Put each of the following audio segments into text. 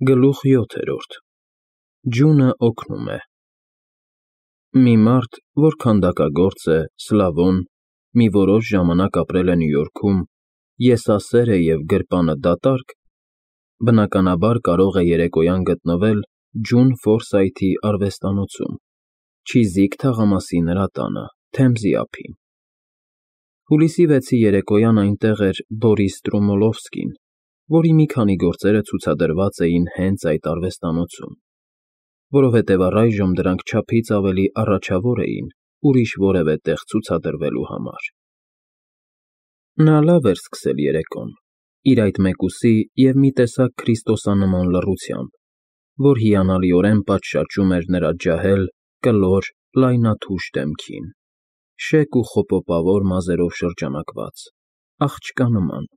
Գլուխ 7 Ջունը օգնում է Մի մարդ, որ քանդակագործ է, Սլավոն, մի որոշ ժամանակ ապրել է Նյու Յորքում, եսասեր է և գրպանը դատարկ, բնականաբար կարող է երեկոյան գտնվել Ջուն Ֆորսայթի արվեստանոցում, Չիզիք թաղամասի նրա տանը, Թեմզի ափին։ Հուլիսի 6-ի երեկոյան այնտեղ էր Բորիս Ստրումոլովսկին, որի մի քանի գործերը ցուցադրված էին հենց այդ արվեստանոցում, որովհետև առայժմ դրանք չափից ավելի առաջավոր էին ուրիշ որևէ տեղ ցուցադրվելու համար։ Նա լավ էր սկսել երեկոն, իր այդ մեկուսի և մի տեսակ քրիստոսանման լռությամբ, որ հիանալիորեն պատշաճում էր նրա ջահել, կլոր, լայնաթուշ դեմքին, շեկ ու խոպոպավոր մազերով շրջանակված, աղջկա նման։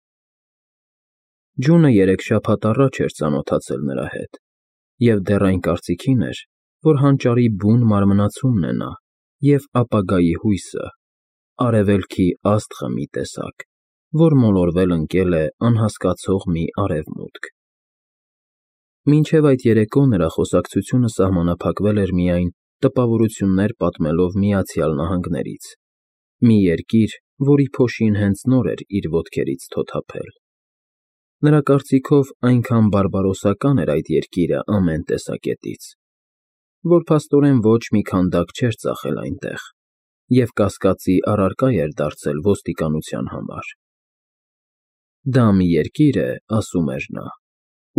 Ջունը 3 շաբաթ առաջ էր ծանոթացել նրա հետ, և դեռ այն կարծիքին էր, որ հանճարի բուն մարմնացումն է նա և ապագայի հույսը, արևելքի աստղը մի տեսակ, որ մոլորվել ընկել է անհասկացող մի արևմուտք։ Մինչև այդ երեկո նրա խոսակցությունը սահմանափակվել էր միայն տպավորություններ պատմելով Միացյալ Նահանգներից, մի երկիր, որի փոշին հենց նոր էր իր ոտքերից թոթափել։ Նրա կարծիքով այնքան բարբարոսական էր այդ երկիրը ամեն տեսակետից, որ փաստորեն ոչ մի քանդակ չէր ծախել այնտեղ և կասկածի առարկա էր դարձել ոստիկանության համար։ Դա մի երկիր է, ասում էր նա,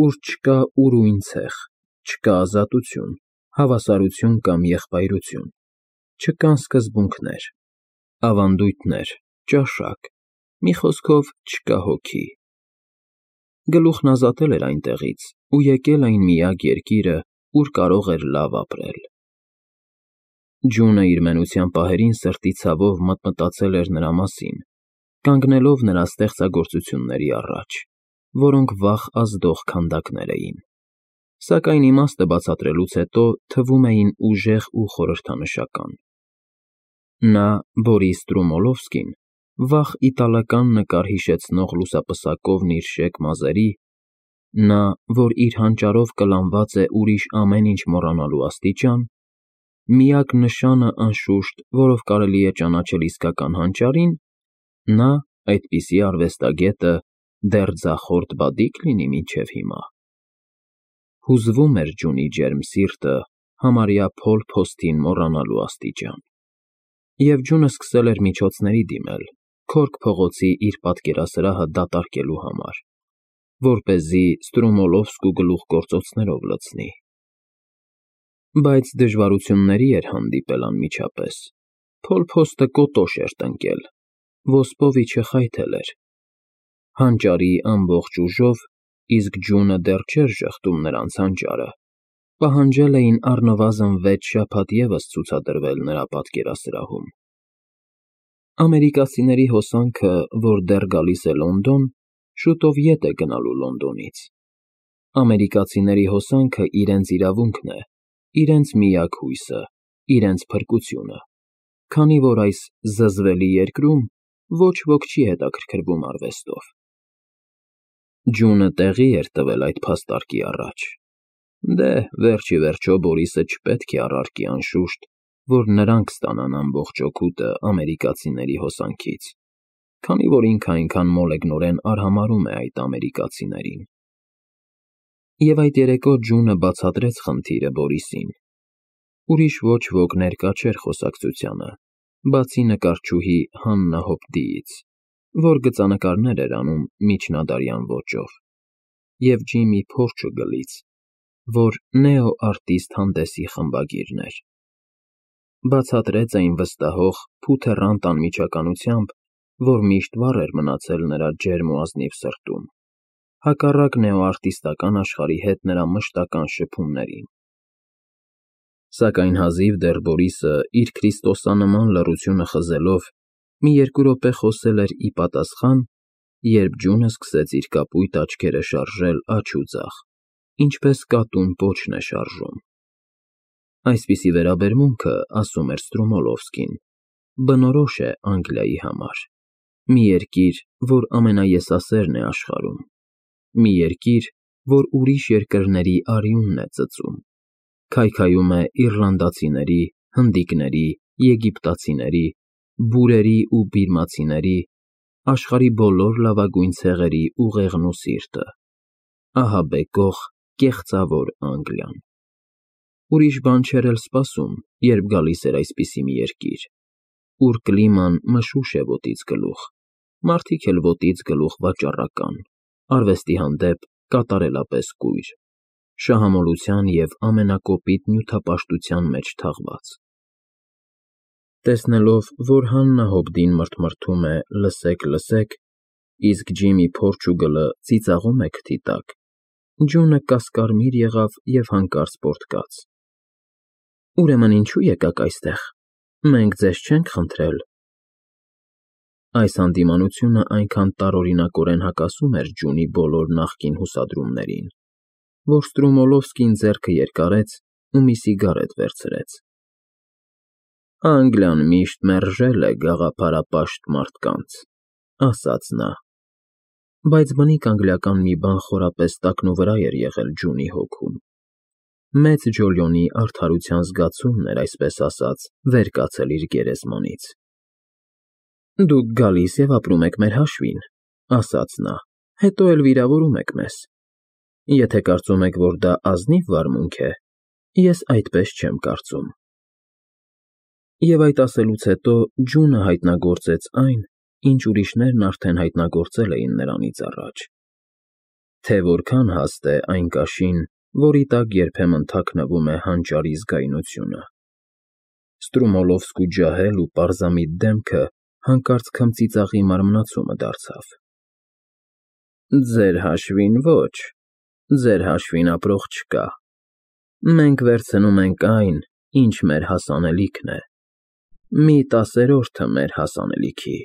ուր չկա ուրույն ցեխ, չկա ազատություն, հավասարություն կամ եղբայրություն, չկան սկզբունքներ, ավանդույթներ, ճաշակ, մի խոսքով չկա հոգի։ Գլուխն ազատել էր այնտեղից ու եկել այն միակ երկիրը, ուր կարող էր լավ ապրել։ Ջունը իր մենության պահերին սրտի ցավով մտմտացել էր նրա մասին, կանգնելով նրա ստեղծագործությունների առաջ, որոնք վաղ ազդող քանդակներ էին, սակայն իմաստը բացատրելուց հետո թվում էին ուժեղ ու խորհրդանշական։ Նա, Բորիս Ստրումոլովսկին, վաղ իտալական նկար հիշեցնող լուսապսակովն իր շեկ մազերի, նա, որ իր հանճարով կլանված է ուրիշ ամեն ինչ մոռանալու աստիճան, միակ նշանը, անշուշտ, որով կարելի է ճանաչել իսկական հանճարին, նա, այդպիսի արվեստագետը, դեռ ձախորդ բադիկ լինի մինչև հիմա։ Հուզվում էր Ջունի ջերմ սիրտը համարյա փոլ-փոստին մոռանալու աստիճան։ Եվ Ջունը սկսել էր միջոցների դիմել Քորք փողոցի իր պատկերասրահը դատարկելու համար, որպեսզի Ստրումոլովսկու գլուխգործոցներով լցնի։ Բայց դժվարությունների էր հանդիպել անմիջապես, փոլ-փոստը կոտոշ էր տնկել, ոսպովիչը խայթել էր։ Հանճարի ամբողջ ուժով, իսկ Ջունը դեռ չէր ժխտում նրանց հանճարը, պահանջել էին առնվազն 6 շաբաթ ևս ցուցադրվել նրա պատկերասրահում։ Ամերիկացիների հոսանքը, որ դեռ գալիս է Լոնդոն, շուտով ետ է գնալու Լոնդոնից։ Ամերիկացիների հոսանքը իրենց իրավունքն է, իրենց միակ հույսը, իրենց փրկությունը, քանի որ այս զզվելի երկրում ոչ ոք չի հետաքրքրվում արվեստով։ Ջունը տեղի էր տվել այդ փաստարկի առաջ։ Դե, վերջ ի վերջո Բորիսը չպետք է առարկի անշուշտ, որ նրանք ստանան ամբողջ օգուտը ամերիկացիների հոսանքից, քանի որ ինքը այնքան մոլեգնորեն արհամարհում է այդ ամերիկացիներին։ Եվ այդ երեկո Ջունը բացատրեց խնդիրը Բորիսին։ Ուրիշ ոչ ոք ներկա չէր խոսակցությանը, բացի նկարչուհի Հաննա Հոփդիից, որ գծանկարներ էր անում միջնադարյան ոճով, և Ջիմի Փորչուգլից, որ նեոարտիստ հանդեսի խմբագիրն էր։ Բացատրեց այն վստահող, փութեռանտ անմիջականությամբ, որ միշտ վառ էր մնացել նրա ջերմ ու ազնիվ սրտում, հակառակ նեոարտիստական աշխարհի հետ նրա մշտական շփումներին։ Սակայն հազիվ դեռ Բորիսը իր քրիստոսանման լռությունը խզելով մի 2 րոպե խոսել էր ի պատասխան, երբ Ջունը սկսեց իր կապույտ աչքերը շարժել աջ ու ձախ, ինչպես կատուն պոչն է շարժում։ Այսպիսի վերաբերմունքը, ասում էր Ստրումոլովսկին, բնորոշ է Անգլիայի համար, մի երկիր, որ ամենաեսասերն է աշխարհում, մի երկիր, որ ուրիշ երկրների արյունն է ծծում, քայքայում է իռլանդացիների, հնդիկների, եգիպտացիների, բուրերի ու բիրմացիների, աշխարհի բոլոր լավագույն ցեղերի ուղեղն ու սիրտը, ահաբեկող, կեղծավոր Անգլիան։ Ուրիշ բան չէր էլ սպասում, երբ գալիս էր այսպիսի մի երկիր, ուր կլիման մշուշ է ոտից գլուխ, մարդիկ էլ ոտից գլուխ վաճառական, արվեստի հանդեպ կատարելապես կույր, շահամոլության և ամենակոպիտ նյութապաշտության մեջ թաղված։ Տեսնելով, որ Հաննա Հոբդին մրթմրթում է «լսեք, լսեք», իսկ Ջիմի Փորչուգլը ծիծաղում է քթի տակ, Ջունը կասկարմիր եղավ և հանկարծ պոռթկաց. «Ուրեմն ինչո՞ւ եկաք այստեղ, մենք ձեզ չենք խնդրել»։ Այս հանդիմանությունը այնքան տարօրինակորեն հակասում էր Ջունի բոլոր նախկին հուսադրումներին, որ Ստրումոլովսկին ձեռքը երկարեց ու մի սիգարետ վերցրեց։ «Անգլիան միշտ մերժել է գաղափարապաշտ մարդկանց», ասաց նա։ Բայց բնիկ անգլիական մի բան խորապես տակնուվրա էր եղել Ջունի հոգում։ Մեծ Ջոլիոնի արդարության զգացումն էր, այսպես ասած, վեր կացել իր գերեզմանից։ «Դուք գալիս և ապրում եք մեր հաշվին», ասաց նա, հետո էլ վիրավորում եք մեզ։ Եթե կարծում եք, որ դա ազնիվ վարմունք է, ես այդպես չեմ կարծում։ Եվ այդ ասելուց հետո Ջունը հայտնագործեց այն, ինչ ուրիշներն արդեն հայտնագործել էին նրանից առաջ, թե որքան հաստ է այն կաշին, որի տակ երբեմն թաքնվում է հանճարի զգայունությունը։ Ստրումոլովսկու ջահել ու պարզամիտ դեմքը հանկարծ քմծիծաղի մարմնացումը դարձավ։ «Ձեր հաշվին ոչ, ձեր հաշվին ապրող չկա։ Մենք վերցնում ենք այն, ինչ մեր հասանելիքն է, մի տասերորդը մեր հասանելիքի։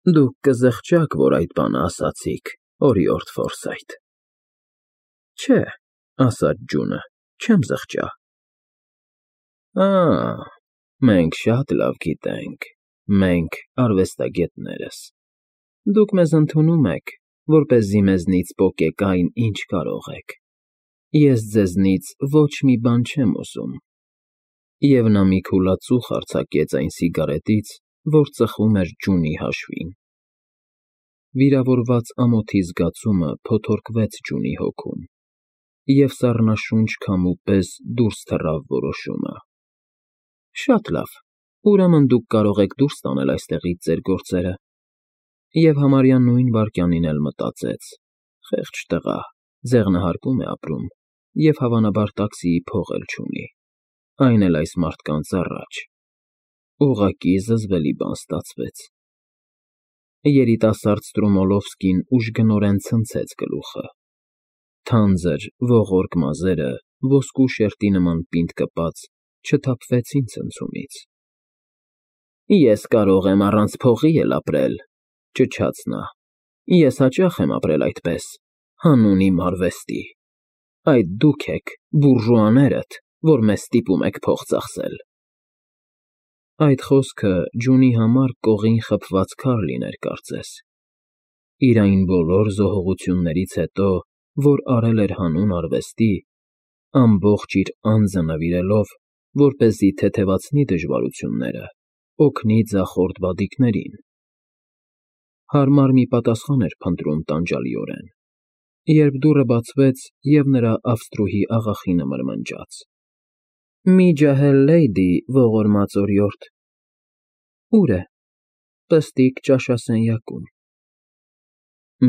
Դուք կզղջաք, որ այդ բանը ասացիք, օրիորդ Ֆորսայթ»։ «Չէ», ասաց Ջունը, չեմ զղջա։ Մենք շատ լավ գիտենք, մենք արվեստագետներս։ Դուք մեզ ընդունում եք, որպեսզի մեզնից պոկեք այն, ինչ կարող եք։ Ես ձեզնից ոչ մի բան չեմ ուզում։ Եվ նա մի քուլածուխ արձակեց այն սիգարետից, որ ծխում էր Ջունի հաշվին։ Վիրավորված ամոթի զգացումը փոթորկվեց Ջունի հոգում, և սառնաշունչ քամու պես դուրս թռավ որոշումը։ Շատ լավ, ուրեմն դուք կարող եք դուրս տանել այստեղից ձեր գործերը։ Եվ համարյա նույն վայրկյանին էլ մտածեց. խեղճ տղա, ձեղնահարկում է ապրում և հավանաբար տաքսիի փող էլ չունի, այն էլ այս մարդկանց առաջ։ Ուղղակի զզվելի բան ստացվեց։ Երիտասարդ Ստրումոլովսկին ուժգնորեն ցնցեց գլուխը։ Թանձր, ողորկ մազերը, ոսկու շերտի նման պինդ կպած, չթափվեցին ցնցումից։ Ես կարող եմ առանց փողի էլ ապրել, ճչաց նա։ Ես հաճախ եմ ապրել այդպես, հանուն իմ արվեստի։ Այդ դուք եք, բուրժուաներդ, որ մեզ ստիպում եք փող ծախսել։ Այդ խոսքը Ջունի համար կողին խփված քար լիներ կարծես։ Իր այն բոլոր զոհողություններից հետո, որ արել էր հանուն արվեստի, ամբողջ իր անձը նվիրելով, որպեսզի թեթևացնի դժվարությունները, օգնի ձախորդ բադիկներին։ Հարմար մի պատասխան էր փնտրում տանջալիորեն, երբ դուռը բացվեց, և նրա ավստրուհի աղախինը մրմնջաց. «Մի ջահել լեյդի, ողորմած օրիորդ»։ Ո՞ւր է։ Պստիկ ճաշասենյակում։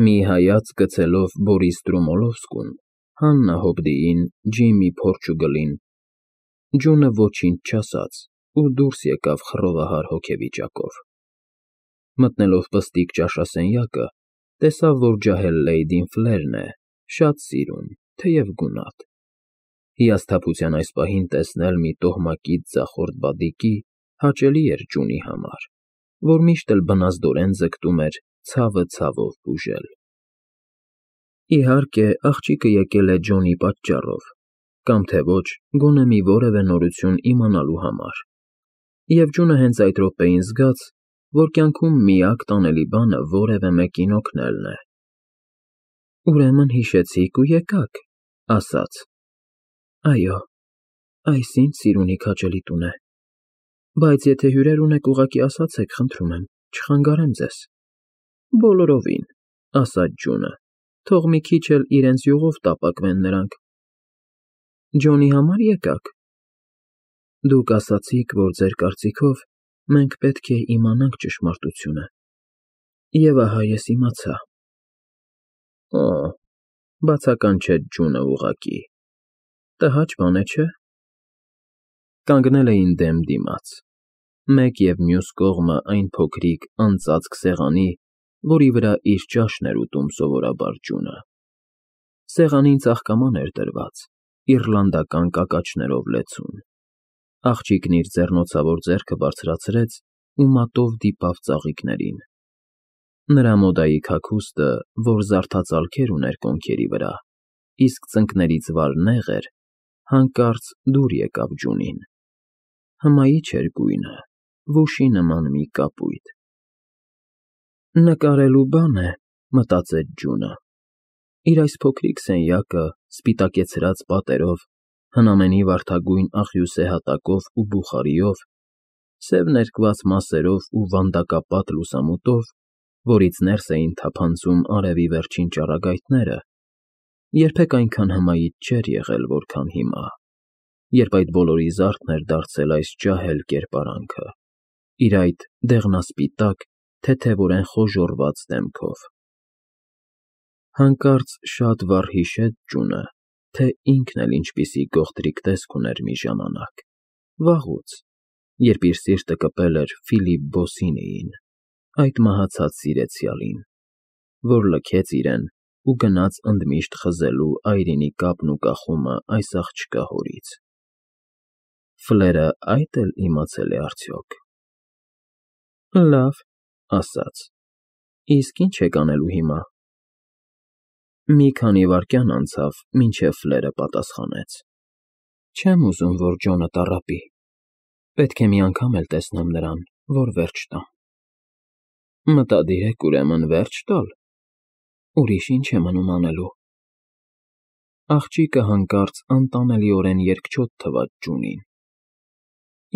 Մի հայացք գցելով Բորիս Ստրումոլովսկուն, Հաննա Հոբդիին, Ջիմի Փորչուգլին, Ջունը ոչինչ չասաց ու դուրս եկավ խռովահար հոգեվիճակով։ Մտնելով պստիկ ճաշասենյակը, տեսավ, որ ջահել լեյդին ֆլերն է, շատ սիրուն, թեև գունատ։ Հիասթափության այս պահին տեսնել մի տոհմակից ձախորդ բադիկի հաճելի էր Ջունի համար, որ միշտ էլ բնազդորեն ձգտում էր ցավը ցավով բուժել։ Իհարկե, աղջիկը եկել է Ջոնի պատճառով, կամ թե ոչ, գոնե մի որևէ նորություն իմանալու համար, և Ջունը հենց այդ րոպեին զգաց, որ կյանքում միակ տանելի բանը որևէ մեկին օգնելն է։ Ուրեմն հիշեցիք ու եկաք, ասաց. Այո, այս ինձ սիրունի քաջելի տուն է, բայց եթե հյուրեր ունեք, ուղղակի ասացեք, խնդրում եմ, չխանգարեմ ձեզ։ Բոլորովին, ասաց Ջունը, թող մի քիչ էլ իրենց յուղով տապակվեն նրանք։ Ջոնի համար եկաք։ Դուք ասացիք, որ ձեր կարծիքով մենք պետք է իմանանք ճշմարտությունը։ Եվ ահա ես իմացա։ Օ, բացական չէ Ջունը ուղղակի։ Տհաճ բան է, չէ՞։ Կանգնել էին դեմ դիմաց, մեկ և մյուս կողմը այն փոքրիկ անծածկ սեղանի, որի վրա իր ճաշն էր ուտում սովորաբար Ջունը։ Սեղանին ծաղկաման էր դրված, իռլանդական կակաչներով լեցուն։ Աղջիկն իր ձեռնոցավոր ձեռքը բարձրացրեց ու մատով դիպավ ծաղիկներին։ Նրա մոդայի հագուստը, որ զարդածալքեր ուներ կոնքերի վրա, իսկ ծնկներից վար նեղ էր, հանկարծ դուր եկավ Ջունին։ Հմայիչ էր գույնը, վուշի նման մի կապույտ։ Նկարելու բան է, մտածեց Ջունը։ Իր այս փոքրիկ սենյակը, սպիտակեցրած պատերով, հնամենի վարդագույն աղյուսե հատակով ու բուխարիով, սև ներկված մասերով ու վանդակապատ լուսամուտով, որից ներս էին թափանցում արևի վերջին ճառագայթները, երբեք այնքան հմայիչ չէր եղել, որքան հիմա, երբ այդ բոլորի զարդն էր դարձել այս ջահել կերպարանքը, իր այդ դեղնասպիտակ, թեթևորեն խոժոռված դեմքով։ Հանկարծ շատ վառ հիշեց Ջունը, թե ինքն էլ ինչպիսի գողտրիկ տեսք ուներ մի ժամանակ, վաղուց, երբ իր սիրտը կպել էր Ֆիլիպ Բոսինիին, այդ մահացած սիրեցյալին, որ լքեց իրեն ու գնաց ընդմիշտ խզելու այրինի կապն ու կախումը այս աղջկա հորից։ Ֆլերը այդ էլ իմացել է արդյոք։ Լավ, ասաց, իսկ ինչ եք անելու հիմա։ Մի քանի վայրկյան անցավ, մինչև Ֆլերը պատասխանեց. Չեմ ուզում, որ Ջոնը տառապի։ Պետք է մի անգամ էլ տեսնեմ նրան, որ վերջ տա։ Մտադիր եք ուրեմն վերջ տալ։ Ուրիշ ինչ է մնում անելու։ Աղջիկը հանկարծ անտանելիորեն երկչոտ թվաց Ջունին։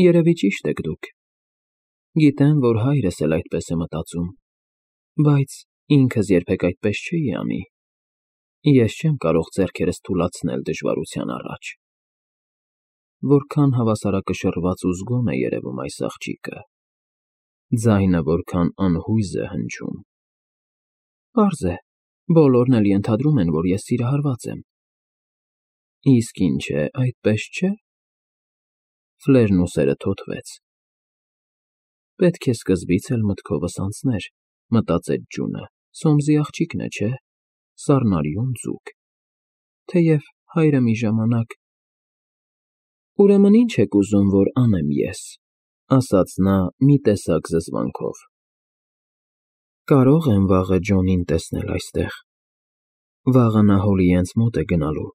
Երևի ճիշտ եք դուք։ Գիտեմ, որ հայրս էլ այդպես է մտածում, բայց ինքս երբեք այդպես չէի անի։ Ես չեմ կարող ձեռքերս թուլացնել դժվարության առաջ։ Որքան հավասարակշռված ու զգոն է երևում այս աղջիկը։ Ձայնը որքան անհույզ է հնչում։ Պարզ է, բոլորն էլ ենթադրում են, որ ես սիրահարված եմ։ Իսկ ինչ է, այդպես չէ։ Ֆլերն ուսերը թոթվեց։ Պետք է սկզբից էլ մտքովս անցներ, մտածեց Ջունը, Սոմսի աղջիկն է, չէ։ Սառնարյուն ձուկ, թեև հայրը մի ժամանակ։ Ուրեմն ինչ եք ուզում, որ անեմ ես, ասաց նա մի տեսակ զզվանքով։ Կարող եմ վաղը Ջոնին տեսնել այստեղ։ Վաղը նա Հոլիենց մոտ է գնալու,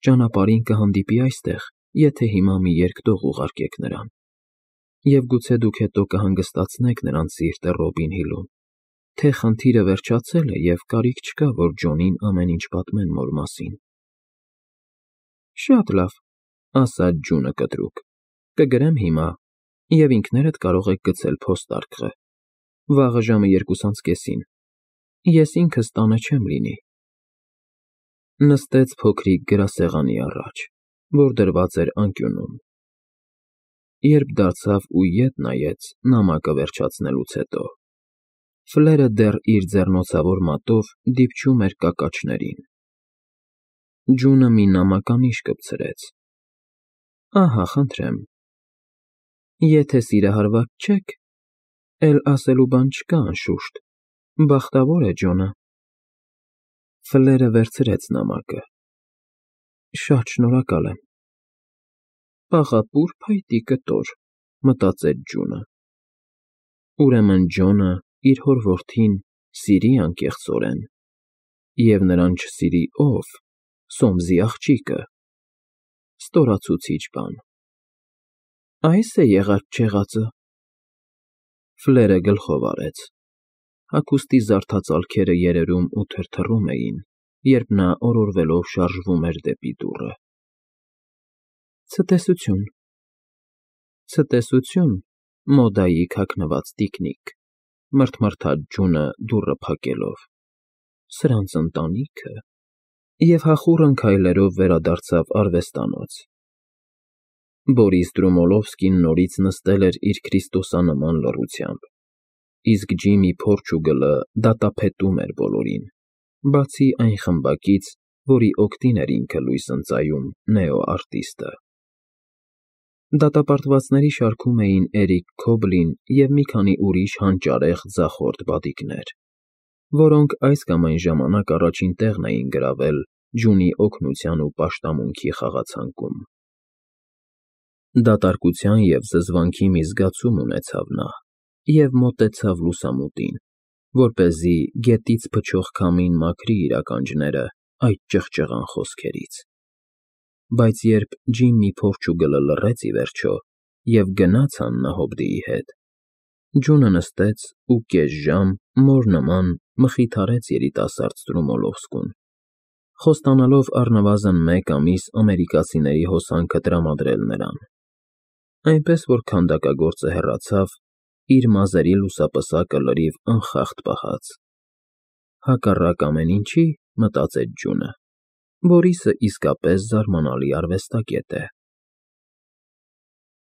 ճանապարհին կհանդիպի այստեղ, եթե հիմա մի երկտող ուղարկեք նրան, և գուցե դուք հետո կհանգստացնեք նրան սիրտը Ռոբին Հիլում, թե խնդիրը վերջացել է և կարիք չկա, որ Ջոնին ամեն ինչ պատմեն մոր մասին։ Շատ լավ, ասաց Ջունը կտրուկ, կգրեմ հիմա, և ինքներդ կարող եք գցել փոստարկղը։ Վաղը ժամը 2:30-ին։ Ես ինքս տանը չեմ լինի։ Նստեց փոքրիկ գրասեղանի առաջ, որ դրված էր անկյունում։ Երբ դարձավ ու ետ նայեց նամակը վերջացնելուց հետո, Ֆլերը դեռ իր ձեռնոցավոր մատով դիպչում էր կակաչներին։ Ջունը մի նամականիշ կպցրեց։ Ահա, խնդրեմ։ Եթե սիրահարված չեք, էլ ասելու բան չկա անշուշտ, բախտավոր է Ջոնը։ Ֆլերը վերցրեց նամակը։ Շատ շնորհակալ եմ։ Պաղապուր փայտի կտոր, մտածեց Ջունը։ Ուրեմն Ջոնը իր հոր որդին սիրի անկեղծորեն, և նրան չսիրի ով, Սոմսի աղջիկը։ Ստորացուցիչ բան։ Այս է եղած-չեղածը։ Ֆլերը գլխով արեց։ Հագուստի զարդածալքերը երերում ու թրթռում էին, երբ նա օրորվելով շարժվում էր դեպի դուռը։ Ցտեսություն։ Ցտեսություն, մոդայի քաքնված տիկնիկ, մռթմռթաց Ջունը դուռը փակելով։ Սրանց ընտանիքը… Եվ հախուռն քայլերով վերադարձավ արվեստանոց։ Բորիս Դրումոլովսկին նորից նստել էր իր քրիստոսանման լռությամբ, իսկ Ջիմի Փորչուգլը դատապետում էր բոլորին, բացի այն խմբակից, որի օգտին էր ինքը լույս ընծայում նեոարտիստը։ Դատապարտվածների շարքում էին Էրիկ Քոբլին և մի քանի ուրիշ հանճարեղ ձախորդ բադիկներ, որոնք այս կամ այն ժամանակ առաջին տեղն էին գրավել Ջունի օգնության ու պաշտամունքի խաղացանկում։ Դատարկության և զզվանքի մի զգացում ունեցավ նա և մոտեցավ լուսամուտին, որպեսզի գետից փչող քամին մաքրի իր ականջները այդ ճղճղան խոսքերից։ Բայց երբ Ջիմի Փորչուգլը լռեց ի վերջո և գնաց Աննա Հոբդիի հետ, Ջունը նստեց ու կես ժամ մոր նման մխիթարեց երիտասարդ Դրումոլովսկուն, խոստանալով առնվազն 1 ամիս ամերիկացիների հոսանքը տրամադրել նրան, այնպես որ քանդակագործը հեռացավ, իր մազերի լուսապսակը լրիվ անխախտ պահած։ Հակառակ ամեն ինչի, մտածեց Ջունը, Բորիսը իսկապես զարմանալի արվեստագետ է։